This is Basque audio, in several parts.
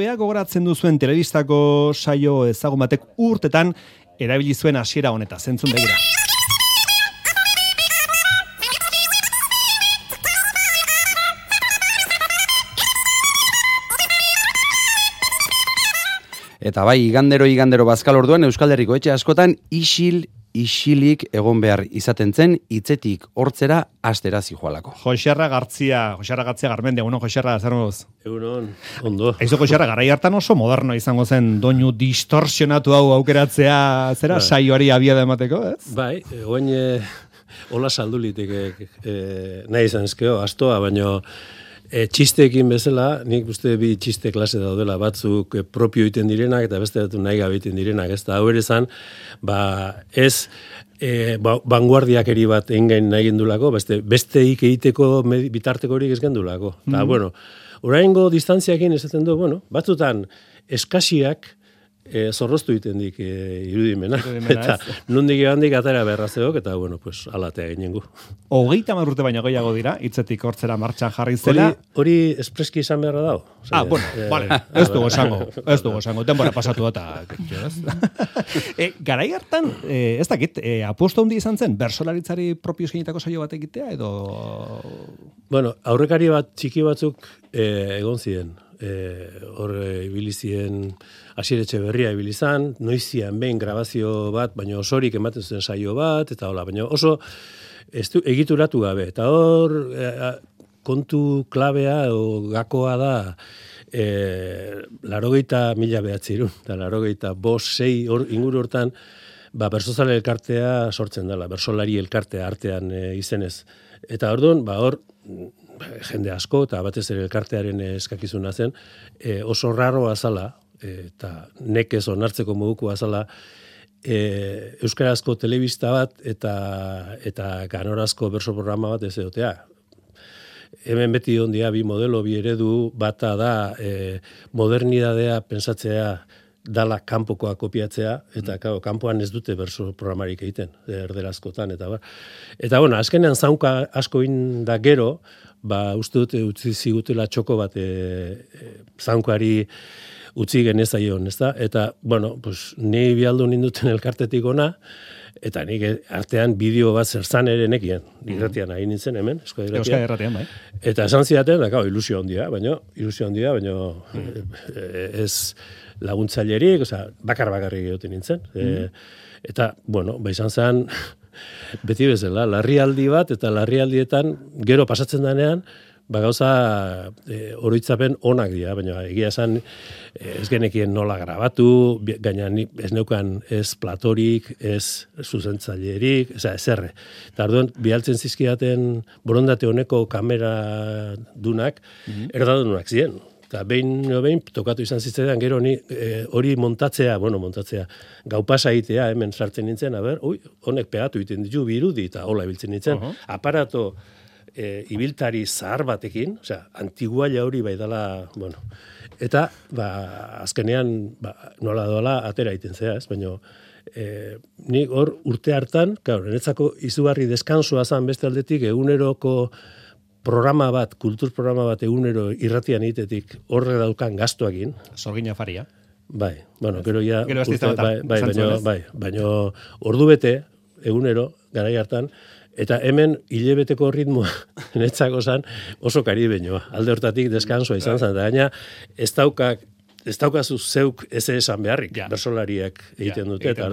Bea gogoratzen duzuen telebistako saio ezagun batek urtetan erabili zuen hasiera honeta, zentzun begira. Eta bai, igandero bazkal orduan Euskal Herriko etxe askotan isilik egon behar izaten zen, hitzetik hortzera astera zijoalako. Joxerra Gartzia Garmendia, Joxerra, zer moduz? Egunon, ondo. Eizo Joxerra, garai hartan oso moderno izango zen doinu distorsionatu hau aukeratzea, zera, saioari abiada emateko, ez? Bai, oain hola saldulitik nahi izan ezkeo, astoa, baino txisteekin bezala, nik uste bi txiste klase daudela, batzuk propio iten direnak, eta beste datu nahi gabe iten direnak, ez da, hau ere zan, ez vanguardiakeri bat engain nahi gendulako, besteik egiteko bitarteko horik ez gendulako. Eta, bueno, oraingo distantziakin esaten du, batzutan eskasiak zorroztu iten dik irudimena. Eta nondik handik atera berrazeok, eta, alatea ginengu. 30 urte baino gehiago dira, hitzetik hortzera martxan jarri zela. Hori espreski izan beharra dago. Vale, ez dugu esango, denbora pasatu da, garai hartan, ez dakit, aposto handi izan zen, bersolaritzari propio eskenitako saio bat egitea, edo... Aurrekari bat txiki batzuk egon ziren. Hor ibili ziren Asier Etxeberria ibili zan, noizian behin grabazio bat, baina osorik ematen zuen saio bat, eta hola, baina oso egituratu gabe. Eta hor kontu klabea o gakoa da 80.000 eta 85-6 inguru hortan bersozale elkartea sortzen dela, bersolari elkartea artean izenez. Eta orduan, hor jende asko, eta batez ere elkartearen eskakizuna zen, oso raro azala, eta nekez onartzeko moduko azala, euskarazko telebista bat eta ganorazko berso programa bat ez edotea. Hemen beti ondia bi modelo, bi eredu, bata da modernidadea pensatzea dala kanpokoa kopiatzea, eta kanpoan ez dute berso programarik egiten, erderazkotan, eta bar. Eta, azkenean zaunka asko inda gero, uste dute utzi zigutela txoko bat zaunkari utzi genezaion, ez da? Eta, ni bialdu ninduten elkartetik ona, eta nik artean bideo bat zerzan ere nekien, irratian nahi nintzen hemen, Euskal Irratian, bai. Eta esan zidaten, ilusio handia, baina ez laguntzailerik, bakar-bakarrik egoten nintzen. Eta, izan zen, beti bezala, larrialdi bat, eta larrialdietan gero pasatzen denean, gauza oroitzapen onak dira, baina egia esan ez genekien nola grabatu, gaina ez neukan ez platorik, ez zuzentzailerik, ez erre. Eta orduan, bialtzen zizkidaten borondate honeko kamera dunak, erdadunak ziren. Eta behin tokatu izan zitzaidan, gero hori montatzea, gau pasa egitea, hemen sartzen nintzen, honek pegatu egiten ditu birudi, eta hola ibiltzen nintzen, aparato ibiltari zahar batekin, antiguaila hori bai dela, eta azkenean nola doala atera egiten zea, ez, baina nik hor urte hartan, niretzako izugarri deskansoa zan beste aldetik eguneroko programa bat, kultur programa bat egunero irratian egitetik horre daukan gastuakin. Sorgina faria. Bai, gero ja... Baina ordu bete egunero, garai hartan, eta hemen hilebeteko ritmoa netzako zan oso karibeñoa. Alde hortatik deskansoa izan zen, eta gaina ez daukazu zeuk ez esan beharrik, bersolariak egiten dute, eta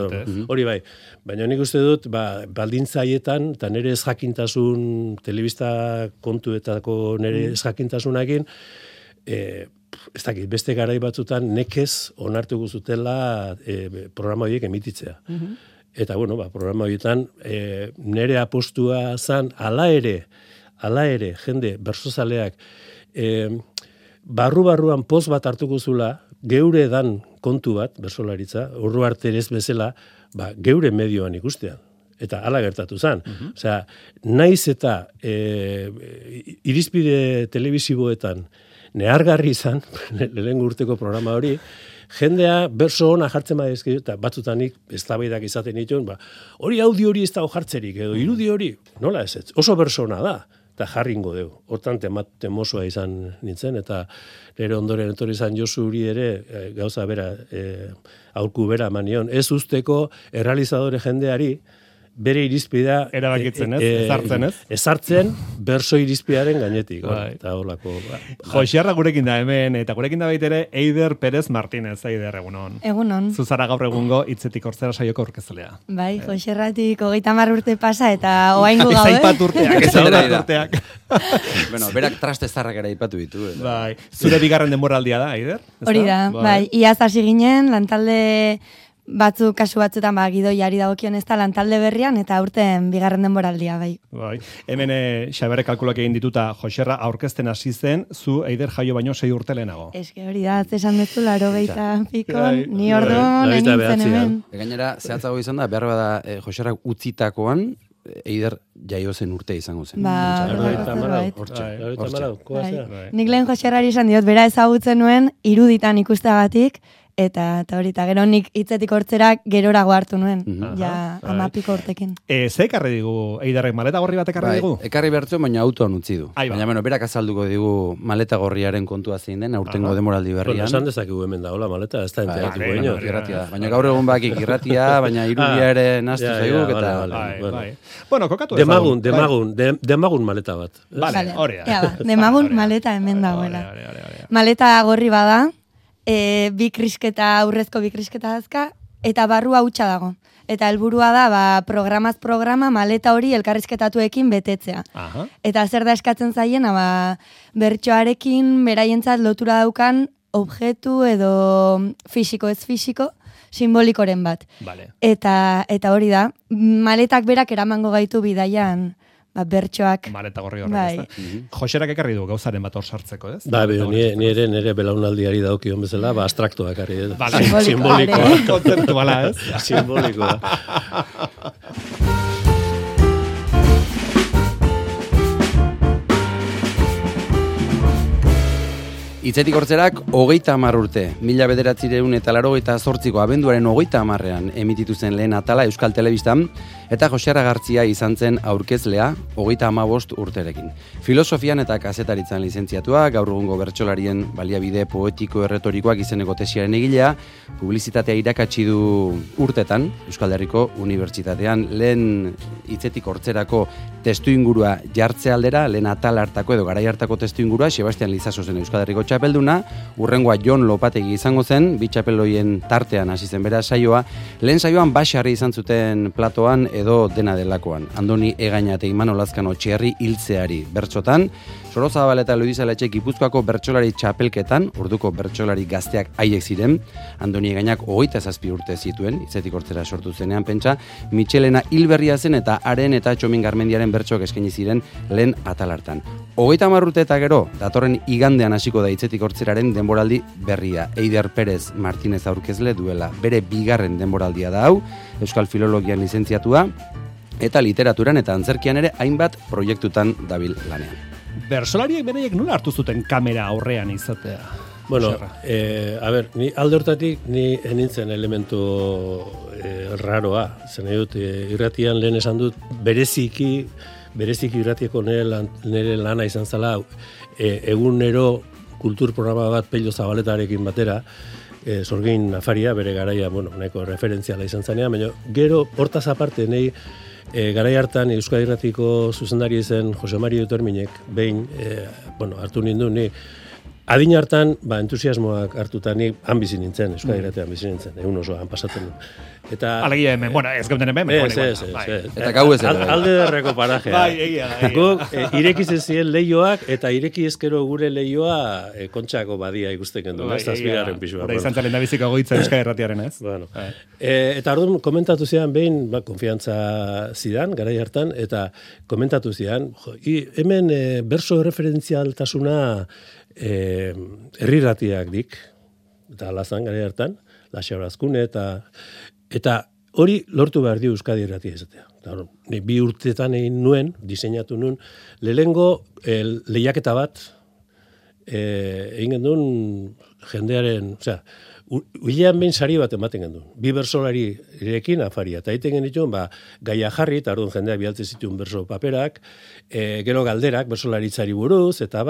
hori bai. Baina nik uste dut, baldintzaietan, eta nire ez jakintasun, telebista kontuetako nire ez jakintasunakin, ez dakit, beste garai batzutan nekez onartu guzutela programa horiek emititzea. Eta, programa horietan, nire apostua zan, ala ere, jende, bersozaleak, barruan poz bat hartuko zula, geure dan kontu bat, bersolaritza, ordu arte ez bezala, geure medioan ikustean. Eta hala gertatu zan. Osea, naiz eta irizpide telebiziboetan nehargarri izan, lehen urteko programa hori, jendea berso ona jartzen badizkizu, eta batzutanik eztabaidak izaten dituen, hori audio hori ez dago jartzerik, edo irudi hori, nola ez, oso berso ona da. eta jarringo dugu. Hortan temosua izan nintzen, eta nire ondoren etorri izan Josu Uri ere, gauza bera, aurku bera manion, ez usteko errealizadore jendeari, bere irizpidea erabakitzen, ezartzen, ez? Ezartzen berso irizpidearen gainetik, eta holako. Joxerra gurekin da hemen, eta gurekin da baitere Eider Pérez Martínez, Eider, egunon. Egunon. Zuzara gaur egungo hitzetik hortzera saioko aurkezlea. Bai, Joxerratik 30 urte pasa, eta oaingo gaude. Ezaipat urteak, Bueno, berak traste zarrak ere aipatu ditu. Bai, zure bigarren denboraldia da, Eider? Hori da, bai, iaz hasi ginen, lantalde kasu batzutan gidoiari dagokion ez da lantalde berrian, eta aurten bigarren denboraldia, bai. Bai. Hemen Xabere kalkulak egin dituta Joxerra aurkezten hasi zen, zu Eider jaio baino 6 urte lehenago. Eske hori da, esan dezu 80 pikon, ni orduan nintzen hemen. Gainera, zehatzago izan da, behar bada Joxerrak utzitakoan, Eider jaio zen urte izango zen. Nik lehen Joxerrari izan diot, bera ezagutzen nuen, iruditan ikustagatik, eta gero nik hitzetik hortzera gerorago hartu nuen, ja 10 urtekin. Ze ekarri digu, Eiderrek maleta gorri bat ekarri digu? Ekarri bertzu, baina autoan utzi du. Baina, berak azalduko digu maleta gorriaren kontua zein den, aurtengo demoraldi berrian. Esan dezakigu hemen da, hola, maleta, ez da enteratuko ino. Baina gaur egun bakik irratia, baina irudia ere naztu zaiguk, eta... Bueno, kokatu ezagun. Demagun maleta bat. Vale, hori da. Demagun maleta hemen dagoela. Maleta gorri bada, aurrezko bi krisketa dazka, eta barrua hutsa dago. Eta helburua da, programaz programa maleta hori elkarrizketatuekin betetzea. Eta zer da eskatzen zaien, bertsoarekin beraientzat lotura daukan objektu edo fisiko ez fisiko, simbolikoren bat. Eta hori da, maletak berak eramango gaitu bidaian, bertsoak. Maleta gorri horrek, ez da. Joxerak ekarri du gauzaren bat hor sartzeko, ez? Nire belaunaldiari daukion bezala, abstraktoa ekarri. Simbolikoa. Kontzeptuala, ez? Simbolikoa. Hitzetik hortzerak 30 urte, 1988ko abenduaren 30ean emititu zen lehen atala Euskal Telebistan, eta Joxerra Gartzia izan zen aurkezlea 35 urterekin. Filosofian eta kazetaritzan lizentziatua, gaur egungo bertsolarien baliabide poetiko erretorikoak izeneko tesiaren egilea, publizitatea irakatsi du urtetan, Euskal Herriko Unibertsitatean lehen hitzetik hortzerako testuingurua jartze aldera, lehen atal hartako edo garai hartako testuingurua, Sebastian Lizaso zen Euskal Herriko txapelduna, urrengoa Jon Lopategi izango zen, bi txapeldoien tartean hasi zen bera saioa, lehen saioan Baxarri izan zuten platoan edo dena delakoan. Andoni Egaña eta Imanol Lazkano Txerri hiltzeari bertsotan, Sorozabal eta Luizaletxe Gipuzkoako bertsolari txapelketan, orduko bertsolari gazteak haiek ziren, Andoni Egañak 27 urte zituen, hitzetik hortzera sortu zenean pentsa, Michelena hilberria zen eta haren eta Txomin Garmendiaren bertsoak eskaini ziren lehen atal hartan. 30 urte eta gero, datorren igandean hasiko da hitzetik hortzeraren denboraldi berria. Eider Pérez Martínez aurkezle duela. Bere bigarren denboraldia da hau, Euskal Filologian lizentziatua, eta literaturan eta antzerkian ere hainbat proiektutan dabil lanean. Bersolariek beraiek nola hartu zuten kamera aurrean izatea? Bueno, ni alde hortatik ni enintzen elementu raroa. Zen dut, irratian lehen esan dut, bereziki irratieko nire lana izan zela, egunero kultur programa bat Pello Zabaletarekin batera, Sorgin Afaria, bere garaia, nahiko referentziala izan zanean, baina gero hortaz aparte nahi garai hartan Euskal Irratiko zuzendari zen Jose Mari Uterminek, behin, hartu nindun, ni adin hartan, entusiasmoak hartuta ni han bizi nintzen, Euskal Irratean bizi nintzen, egun osoan pasatzen du. Alegia hemen, ez gauden hemen. Eta gau ez edo. Alde derreko parajea. Bai, egia. Guk irekizen ziren lehioak, eta ireki ezkero gure lehioa kontxako badia ikusten gendu, ez azpigarren pisua. Hora izan zalen da biziko goitza Euskal Irratiaren, ez? Eta orduan komentatu zidan behin, konfiantza zidan, garai hartan, eta komentatu zidan, hemen berso referentzialtasuna herrirratiak dik, eta alazan garai hartan, Laxabrazkune, eta hori lortu behar di Euskadi Irratia izatea. Ni 2 urtetan egin nuen, diseinatu nuen, lehengo lehiaketa bat egin gendun jendearen, Hilean behin sari bat ematen gendun. 2 bersolarirekin afaria. Eta egiten genituen, gaia jarri, eta orduan jendeak bialtzen zituen berso paperak, gero galderak, bersolaritzari buruz, eta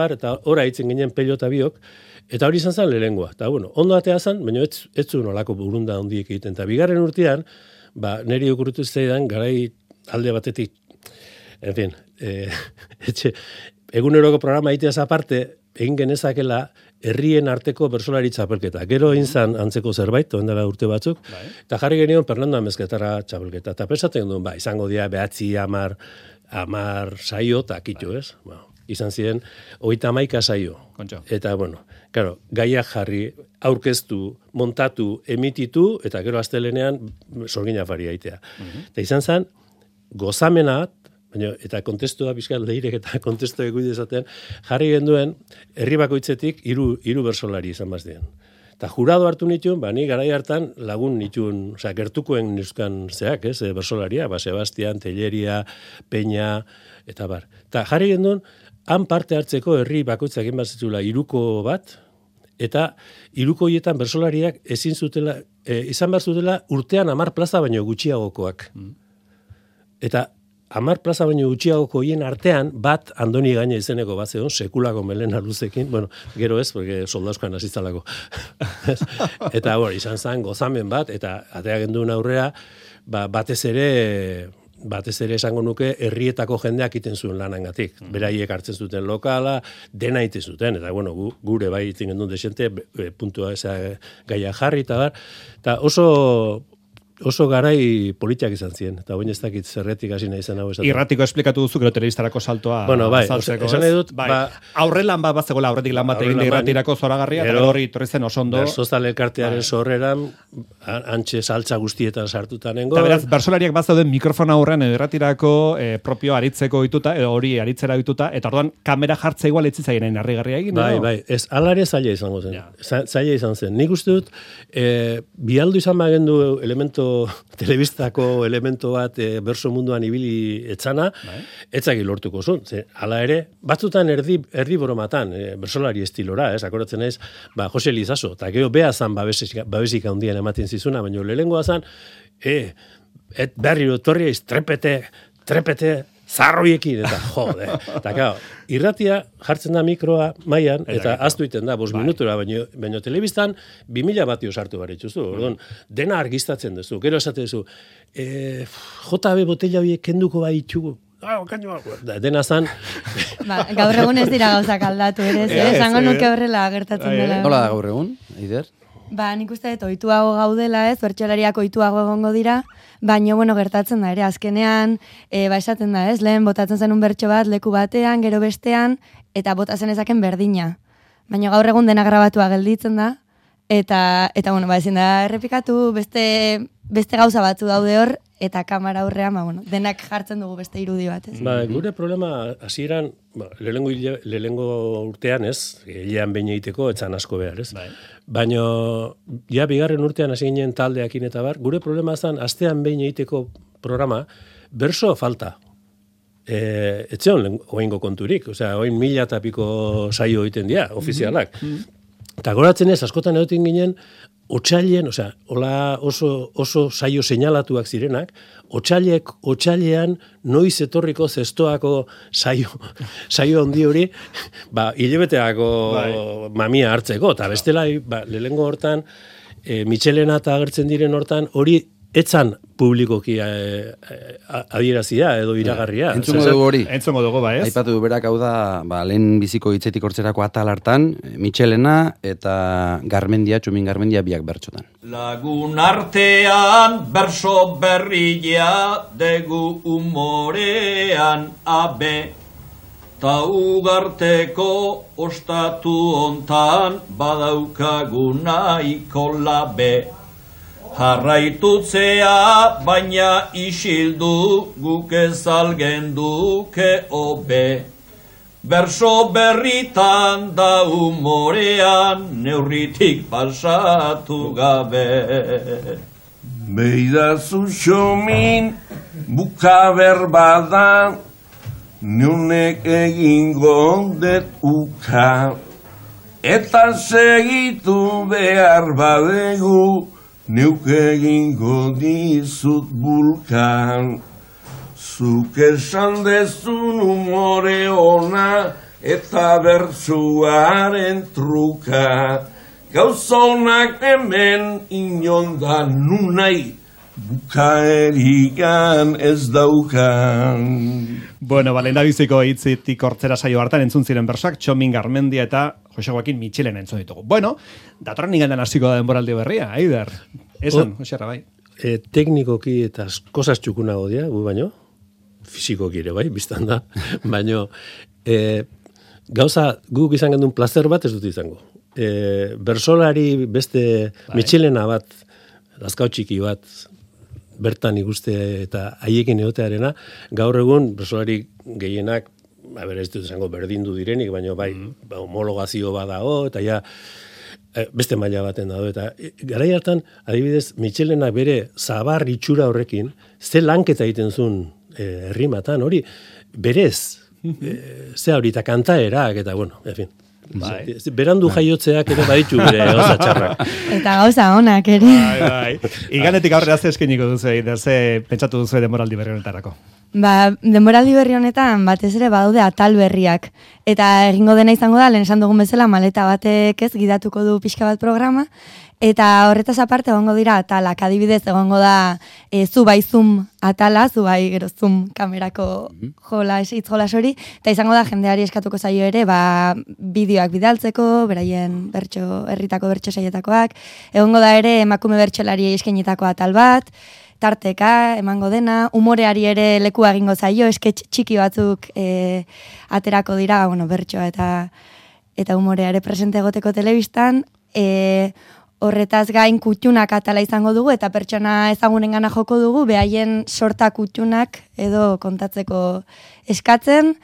ora hitzen ginen pelota biok, eta hori izan zen lehengoa. Eta ondo atea zen, baina ez zuen olako burunda hondiek egiten. Eta bigarren urtean, niri okurritu zaidan, garai alde batetik, en fin, eguneroko programa egiteaz aparte, egin genezakela herrien arteko bersolari txapelketa. Gero egin zan antzeko zerbait, dela urte batzuk, eta jarri genion Fernando Amezketara txapelketa. Eta pesatzen duen, izango dira 9, 10 saio, eta kitu, ez? Izan ziren, 31 saio. Eta, claro, gaia jarri, aurkeztu, montatu, emititu, eta gero astelenean sorgin afari aitea. Eta izan zen, gozamenat, eta kontestua bizkat leirek eta kontestu ekuide esaten, jarri genduen, herri bakoitzetik 3 bersolari izan bazdien. Eta jurado hartu nituen, ni garai hartan lagun nituen, gertukoen nizkan zeak, bersolaria, Sebastian, Telleria, Peña, eta bar. Eta jarri genduen, han parte hartzeko herri bakoitzak egin bazitzula 3 bat, eta 3 horietan bersolariak ezin zutela, izan behar zutela urtean 10 plaza baino gutxiagokoak. Eta 10 plaza baino gutxiagoko hien artean, bat Andoni Gaina izeneko bat zegoen, sekulako melena luzekin, gero ez, porque soldauskoan azitzalako. Eta izan zen gozamen bat, eta atea genduen aurrea, batez ere esango nuke herrietako jendeak iten zuen lanangatik. Beraiek hartzen zuten lokala, dena iten zuten, eta gure bai itzen genduen desente, puntua gaia jarri, eta oso garai politiak izan ziren, eta baina ez dakit zerretik hasi nahi zen hau esaten. Irratiko esplikatu duzu, gero telebistarako saltoa azaltzeko. Esan nahi dut, aurrelan bat bazegoela, aurretik lan bat egin irratirako zoragarria, eta hori torri zen oso ondo. Bersozal elkartearen sorreran, antxe saltza guztietan sartutanengo. Eta beraz, bersolariak bat zauden mikrofona aurrean irratirako propio aritzeko dituta, edo hori aritzera dituta, eta orduan kamera jartza igual etzi zaien harrigarria egin. Bai, ez alare zaila izango zen. Zaila izan zen. Nik uste dut, bialdu izan bagendu elemento telebistako elemento bat berso munduan ibili etzana, etzaki lortuko zuen. Hala ere, batzutan erdi boromatan, bersolari estilora, akoratzen ez, Jose Lizaso, eta gero beha zan babesik handian ematen zizuna, baina lehengoa zan, berriro torriaiz, trepete, zarroiekin, eta jode. Eta irratia jartzen da mikroa mailan, eta aztu iten da, 5 minutura, baina telebistan 2000 batio sartu baritzuzu. Dena argiztatzen duzu. Gero esate duzu, JB botella horiek kenduko bai itxugu. Dena zan... Gaur egun ez dira gauzak aldatu, ere, esango nuke horrela gertatzen dela. Nola da gaur egun, Eider? Nik uste dut, ohituago gaudela, bertsolariak ohituago egongo dira, baina, gertatzen da, ere, azkenean, esaten da, lehen botatzen zenun bertso bat, leku batean, gero bestean, eta botatzen ezaken berdina. Baina gaur egun dena grabatua gelditzen da, eta ezin da errepikatu, beste gauza batzu daude hor, eta kamera aurrean, denak jartzen dugu beste irudi bat, ez? Gure problema, hasieran, lehengo urtean, ez, hilean behin egiteko, etzan asko behar, ez? Baina, bigarren urtean hasi ginen taldeakin eta bar, gure problema zen, astean behin egiteko programa, berso falta. Etzeon oingo konturik, oin 1000 eta piko saio egiten dira, ofizialak. Eta goratzen ez, askotan egoten ginen, otsailean, hola oso saio seinalatuak zirenak, otsailean noiz etorriko zestoako saio handi hori, hilebeteako mamia hartzeko, eta bestela, lehengo hortan, Michelena eta agertzen diren hortan, hori etzan publikoki adierazia edo iragarria. Entzungo dugu hori. Entzungo dugu, ez? Aipatu du berak hau da, lehen biziko hitzetik hortzerako atal hartan, Michelena eta Txumin Garmendia biak bertsotan. Lagun artean berso berria degu umorean abe, ta ugarteko ostatu hontan badaukaguna ikolabe. Jarraitutzea baina isildu guk ezalgen duke obe. Berso berritan da umorean neurritik pasatu gabe. Beidazu Txomin bukaber bada, neunek egingo det uka. eta segitu behar badegu, neuk egingo dizut bulkan. Zuk esan dezun umore ona, eta bertsuaren truka. Gauzonak hemen inonda nunai, bukaerikan ez daukan. Bueno, lehendabiziko hitzitik hortzera saio hartan entzun ziren bersoak Txomin Garmendia eta Jose Joaquin Mitxelen entzun ditugu. Bueno, datorren igandan hasiko da denboraldi berria, Aider. Esan, Josera, bai. Teknikoki eta kosas txukunago dira, gu baino, fizikoki ere bai, biztan da, baino, gauza guk izan gendun plazer bat ez dut izango. Bersolari beste Mitxelena bat, lazkau txiki bat, bertan ikuste eta haiekin egotearena, gaur egun bersolari gehienak, ez dut izango berdindu direnik, baina bai, homologazio badago, eta ja, beste maila baten dago, eta garai hartan, adibidez, Mitxelena bere zabar itxura horrekin, ze lanketa egiten zuen herrimatan, hori, berez, ze hori, eta kantaerak, eta bueno, en fin. Bai. Berandu jaiotzeak ere baditu bere gauza txarrak. Eta gauza onak ere. Bai. Iganetik aurrera ze eskeniko duzu, ze pentsatu duzu denboraldi berri honetarako. Denboraldi berri honetan batez ere badaude atal berriak. Eta egingo dena izango da, lehen esan dugun bezala, maleta batek ez gidatuko du pixka bat programa. Eta horretaz aparte egongo dira atalak, adibidez egongo da zu bai zoom atala, zu bai gero zoom kamerako hitz jolas hori, eta izango da jendeari eskatuko zaio ere, bideoak bidaltzeko, beraien herritako bertso saietakoak, egongo da ere emakume bertsolari eskainitako atal bat, tarteka emango dena, umoreari ere lekua egingo zaio, sketch txiki batzuk aterako dira, bertsoa eta umorea ere presente egoteko telebistan, horretaz gain kutxunak atala izango dugu eta pertsona ezagunengana joko dugu, behaien sorta kutxunak edo kontatzeko eskatzen,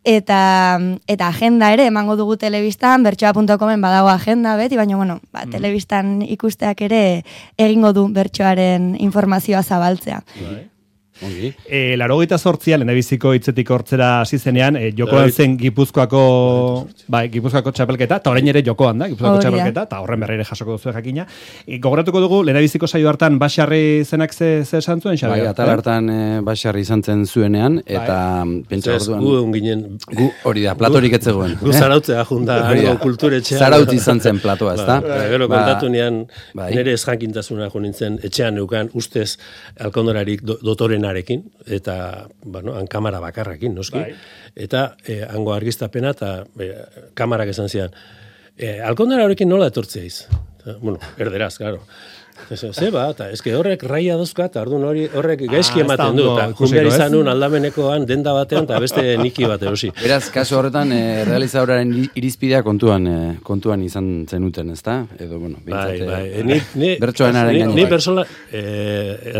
eta agenda ere emango dugu telebistan, bertsoa.comen badago agenda beti, baina telebistan ikusteak ere egingo du bertsoaren informazioa zabaltzea. Larogeita zortzia, lehendabiziko hitzetik hortzera hasi zenean, jokoan zen Gipuzkoako txapelketa, eta orain ere jokoan da, Gipuzkoako txapelketa, eta horren berreire jasoko duzu jakina. Gogoratuko dugu, lehendabiziko saio hartan Baxarri zenak ze esan zuen, Xabi? Bai, atal hartan Baxarri izan zen zuenean, eta pentsa orduan... Gu onginen... Gu hori da, platorik etzegoen. Gu zarautzea junda, kulturetxean. Zarautz izan zen platoa, ez da? Gero kontatu nian, nire esjankintasuna jo nintzen, etxean neukan, ustez, alkondorarik dotorenarekin, eta, han kamara bakarrakin, noski. Eta, hango argiztapena, eta kamarak esan zian, alkondora horrekin nola etortzeiz? Erderaz, claro. Zeba, eta eske horrek raia dozka, eta horrek gaizki ematen du, eta junbiar izanun aldamenekoan denda batean, eta beste niki bat erosi. Beraz, kasu horretan, realizadoraren irizpidea kontuan izan zenuten, ezta? Edo, bertsoenaren gainean. Ni persona,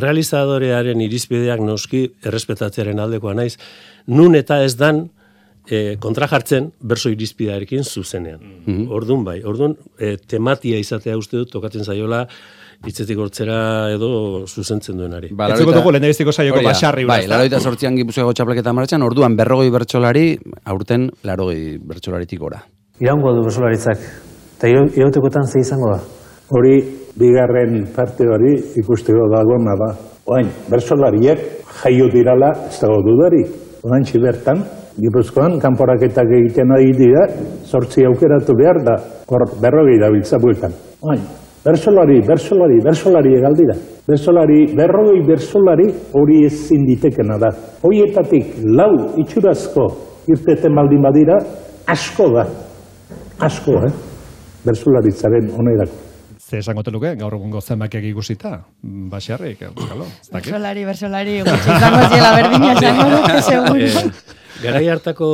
realizadorearen irizpideak noski errespetatzearen aldekoa naiz, nun eta ez dan kontra jartzen berso irizpidearekin zuzenean. Ordun tematia izatea uste dut, tokatzen zaiola, hitzetik hortzera edo zuzentzen duenari. Etzuko dugu lehendabiziko saioko Baxarri. Bai, 88an Gipuzkoako txapelketa martxan, orduan 40 bertsolari, aurten 80 bertsolaritik gora. Iraungo du bertsolaritzak, eta irautekotan ze izango da. Hori, bigarren parte hori ikusteko dagoena da. Oain, bertsolariek jaio dirala ez dago dudari. Oain bertan, Gipuzkoan, kanporaketak egiten ari dira, 8 aukeratu behar da, hor 40 dabiltza bueltan. Oain, bersolari egaldira. Berrogei bersolari hori ezin ditekena da. Horietatik 4 itxurazko irteten baldin badira, asko da. Asko, bersolaritzaren onerako. Ze esango teluke, gaur egungo zenbakiak ikusita, Baxarrik, euskalo. Bersolari, gutxi izango ziela berdina esango duke, seguro. Garai hartako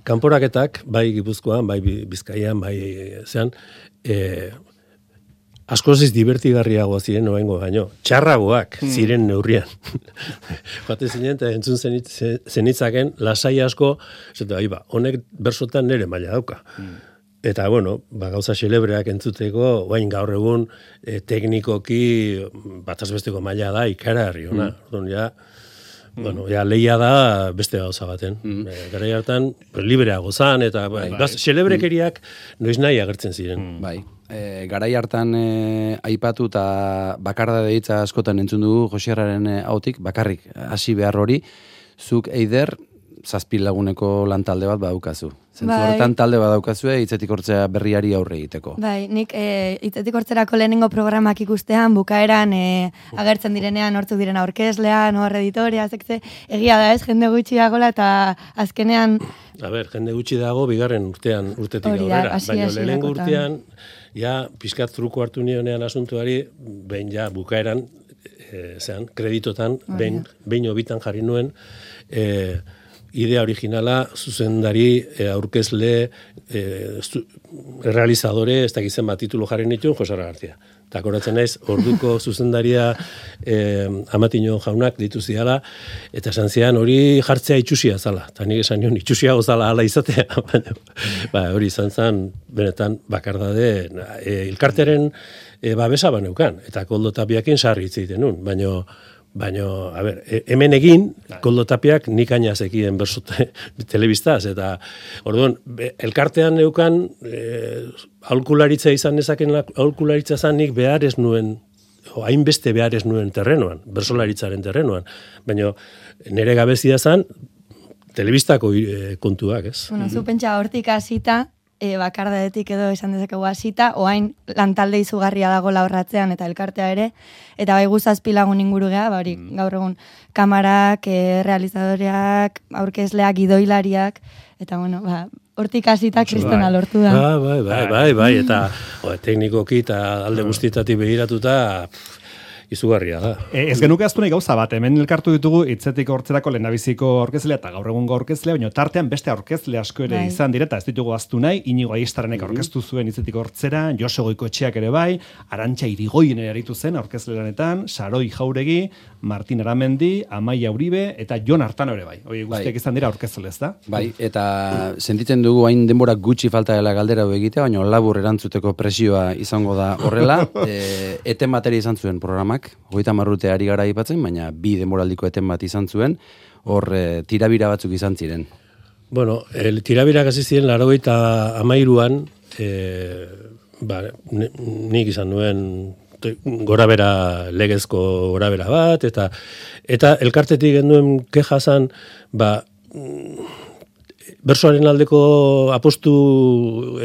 kanporaketak, bai Gipuzkoan, bai Bizkaian, bai zean, askoz divertigarriagoa ziren oraingo baino, txarragoak ziren neurrian. Joate zinen eta entzun zenitzaken lasai asko, honek bersotan nere maila dauka. Eta, gauza xelebreak entzuteko, bain gaur egun teknikoki bataz besteko maila da ikaragarri ona. Bueno, ja, lehia da beste gauza baten. Garai hartan, libreago zan, eta celebrekeriak noiz nahi agertzen ziren. Bai. Garai hartan aipatu eta bakarda deitza askotan entzun dugu Josierraren hautik, bakarrik hasi behar hori, zuk Eider, 7 laguneko lan talde bat badaukazu. Zentzu horretan talde badaukazue hitzetik hortzea berriari aurre egiteko. Bai, nik hitzetik hortzerako lehenengo programak ikustean, bukaeran agertzen direnean hortzuk diren aurkezlea, noar editoria, zekze, egia da ez, jende gutxi dagoela eta azkenean... A ber, jende gutxi dago bigarren urtetik aurrera, baina lehenengo urtean, ja, pizkat truko hartu nionean asuntuari, behin ja, bukaeran, kreditotan, behin obitan jarri nuen, idea originala, zuzendari, aurkezle, realizadore, ez dakizen bat titulu jarri nituen, Jose García. Eta koratzen naiz, orduko zuzendaria Amatino jaunak dituziala, eta esan zian hori jartzea itxusia zala. Eta nik esan nion itxusia gozala ala izatea. Hori izan zen, benetan, bakardade, elkarteren babesa baneukan. Eta Koldo Tapiakin sarri hitzeiten nun, baina, a ber, hemen egin, Koldo Tapiak nik ainazekien berso telebistaz, eta, orduan, elkartean neukan, aholkularitza izan nezaken aholkularitza zan nik behar ez nuen, hainbeste behar ez nuen terrenoan, bersolaritzaren terrenoan, baina nire gabezia zan, telebistako kontuak, ez? Bueno, zu pentsa hortik hasita, bakardadetik edo esan dezakegu hasita, oain lantalde izugarria dago laurratzean eta elkartea ere, eta bai gu 7 lagun inguru geha, hori gaur egun kamarak, realizadoreak, aurkezleak, gidoilariak, eta bueno, hortik hasita kristona lortu da. Bai, eta teknikoki eta alde guztietatik begiratuta, izugarria da. Ez genuke aztu nahi gauza bat, hemen elkartu ditugu hitzetik hortzerako lehendabiziko aurkezlea eta gaur egungo aurkezlea, baina tartean beste aurkezle asko ere izan direta, ez ditugu aztu nahi, Inigo Aistaranek aurkeztu zuen hitzetik hortzera, Jose Goikoetxeak ere bai, Arantxa Irigoyen ere aritu zen aurkezle lanetan, Saroi Jauregi, Martin Aramendi, Amaia Uribe eta Jon Artano ere bai. Hori guztiak izan dira aurkezle, ezta? Bai, eta sentitzen dugu hain denbora gutxi falta dela galdera egitea, baina labur erantzuteko presioa izango da horrela. Eten bateri izan zuen programak, 30 urte ari gara aipatzen, baina 2 denboraldiko eten bat izan zuen, hor tirabira batzuk izan ziren. Bueno, tirabirak hasi ziren 93an, nik izan nuen gorabera, legezko gorabera bat, eta elkartetik genduen keja zan, bersoaren aldeko apostu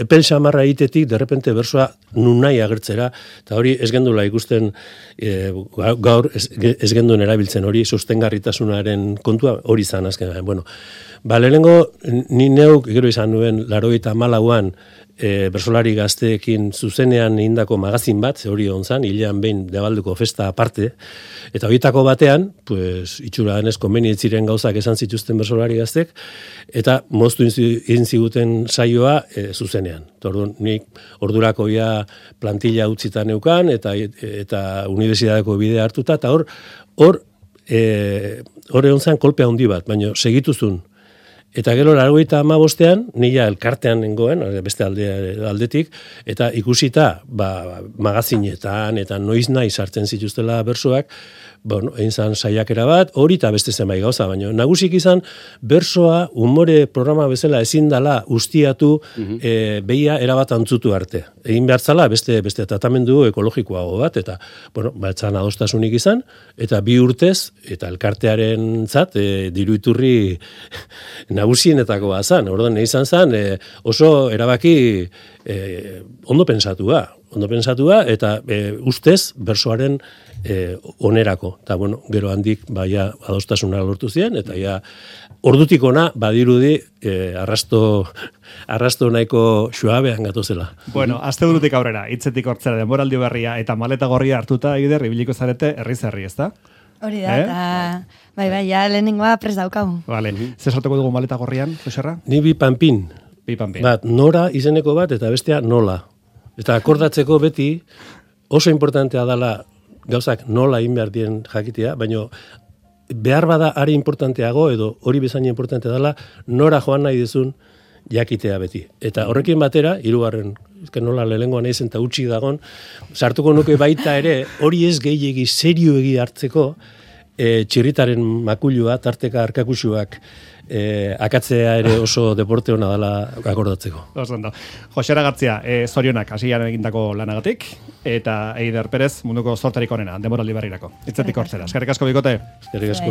epel xamarra egitetik, derrepente bersoa nun nahi agertzera, eta hori ez gendula ikusten, gaur ez genduen erabiltzen hori, sostengarritasunaren kontua hori zan azken. Bueno, lehenengo ni neuk, gero izan nuen, 94an, bersolari gazteekin zuzenean egindako magazin bat, hori onzan, hilean behin Debalduko festa aparte, eta horietako batean, pues, itxura denez konbenientziren gauzak esan zituzten bersolari gaztek, eta moztu egin ziguten saioa zuzenean. Orduan, nik ordurako ja plantilla utzitan neukan, eta unibertsitateko bidea hartuta, eta hor egon kolpe handi bat, baina segituzun. Eta gero 95ean, nila elkartean nengoen, beste aldetik, eta ikusita magazinetan eta noiz nahi sartzen zituztela bersoak, egin zan saiakera bat, hori eta beste zenbait gauza, baina nagusik izan bersoa umore programa bezala ezin dala ustiatu behia erabat antzutu arte. Egin behartzala beste tratamendu ekologikoago bat, eta etzan adostasunik izan, eta 2 urtez, eta elkartearen zat, diru iturri nagusienetako bazan. Orduan, izan zan, oso erabaki ondo pensatua, eta ustez ustez onerako. Eta, gero handik, adostasuna lortu ziren, eta ordutik ona, badirudi, arrasto nahiko suabean gatozela. Bueno, asteburutik aurrera, hitzetik hortzera, denboraldi berria, eta maleta gorria hartuta, Eider, ibiliko zarete, herri-zerri, ezta? Hori da, eta ja lehenengoa prest daukagu. Vale, zer sartuko dugu maleta gorrian, Joserra? Ni bi panpin. Bat, nora izeneko bat, eta bestea nola. Eta akordatzeko beti, oso importantea dela gauzak nola egin behar dien jakitea, baina behar bada ari importanteago, edo hori bezain importantea dela, nora joan nahi duzun jakitea beti. Eta horrekin batera, 3. nola lehengoan eizen eta utxik dagon, sartuko nuke baita ere, hori ez gehiegi serioegi hartzeko, txirritaren makulua, tarteka arkakusuak, akatzea ere oso deporte hona dela akordatzeko. Oso ondo. Josera Gartzia, zorionak hasian egindako lanagatik, eta Eider Perez munduko zortarik onena, denboraldi berrirako. Hitzetik hortzera. Eskerrik asko bikote. Eskerrik asko.